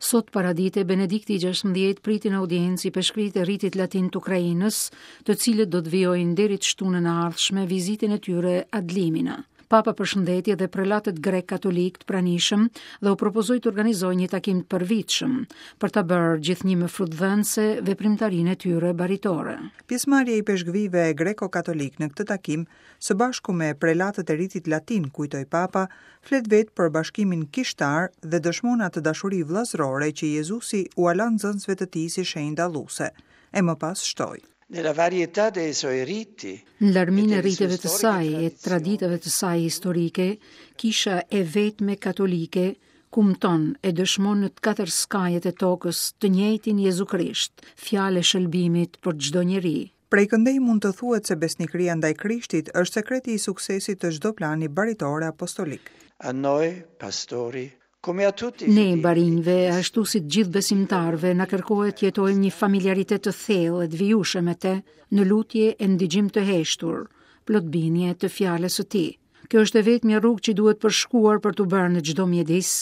Sot paradite, Benedikti i 16 priti në audiencë ipeshkvijtë e ritit latin të Ukrainës, të cilët do të vijojnë deri të shtunën e ardhshme vizitën e tyre ad limina. Papa përshëndeti edhe prelatët grekë katolikë të pranishëm dhe u propozoi të organizojnë një takim të përvitshëm për ta bërë gjithnjë më frutdhënëse veprimtarinë e tyre baritore. Pjesëmarrja e ipeshkvijve greko-katolikë në këtë takim, së bashku me prelatët e ritit latin, kujtoi Papa, flet vetë për bashkimin kishtar dhe dëshmon atë dashuri vëllazërore që Jezusi ua la nxënësve të tij si shenjë dalluese. E më pas shtoi. Nella varietà dei suoi riti. Në larminë e riteve të saj e traditave të saj historike, kisha e vetme katolike kumton e dëshmon në të katër skajet e tokës të njëjtin Jezu Krisht, fjalë e shëlbimit për çdo njeri. Prej këndej mund të thuhet se besnikëria ndaj Krishtit është sekreti i suksesit të çdo plani baritor e apostolik. A noi, pastori, Ne, barinjve, ashtu si të gjithë besimtarëve, na kërkohet të jetojmë një familiaritet të thellë e të vijueshëm me te, në lutje e në dëgjim të heshtur, plot bindje të fjalës së tij. Kjo është e vetmja rrugë që duhet përshkuar për t'u bërë në çdo mjedis,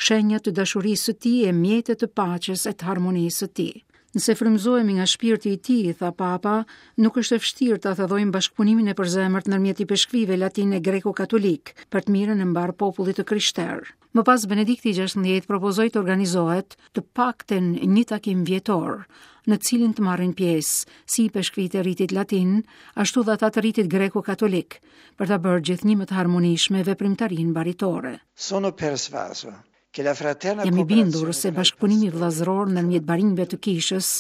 shenja të dashurisë së tij e mjete të paqes e të harmonisë së tij. Nëse frymëzohemi nga shpirti i tij, tha Papa, nuk është e vështirë ta thellojmë bashkëpunimin e përzemërt ndërmjet ipeshkvijve latinë e greko-katolikë për të mirën e mbarë popullit të krishterë. Më pas Benedikti i 16 propozoi të organizohet të paktën një takim vjetor, në të cilin të marrin pjesë si ipeshkvijtë e ritit latin, ashtu dhe ata të ritit greko-katolik, për ta bërë gjithnjë më të harmonishme veprimtarinë baritore. Sono persuaso Jam i bindur se bashkëpunimi vëllazëror ndërmjet barinjve të kishës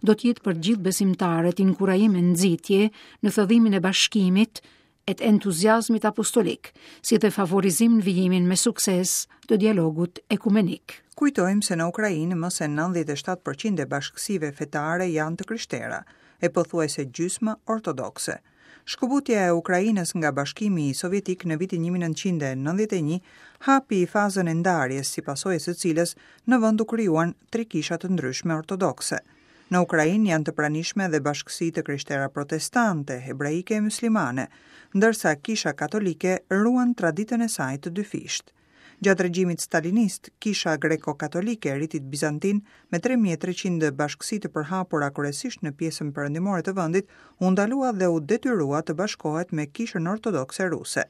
do të jetë për gjithë besimtarët inkurajim e nxitje në thellimin e bashkimit e të entuziazmit apostolik, si dhe favorizim në vijimin me sukses të dialogut ekumenik. Kujtojmë se në Ukrainë më se 97 për qind e bashkësive fetare janë të krishtera, e pothuajse gjysma ortodokse. Shkëputja e Ukrainës nga Bashkimi Sovjetik në vitin 1991 hapi fazën e ndarjes, si pasojë e së cilës në vend u krijuan tri kisha të ndryshme ortodokse. Në Ukrainë janë të pranishme dhe bashkësi të krishtera protestante, hebraike e myslimane, ndërsa Kisha Katolike ruan traditën e saj të dyfishtë. Gjatë regjimit stalinist, Kisha Greko-Katolike e ritit bizantin, me 3300 bashkësi të përhapura kryesisht në pjesën perëndimore të vendit, u ndalua dhe u detyrua të bashkohet me Kishën Ortodokse Ruse.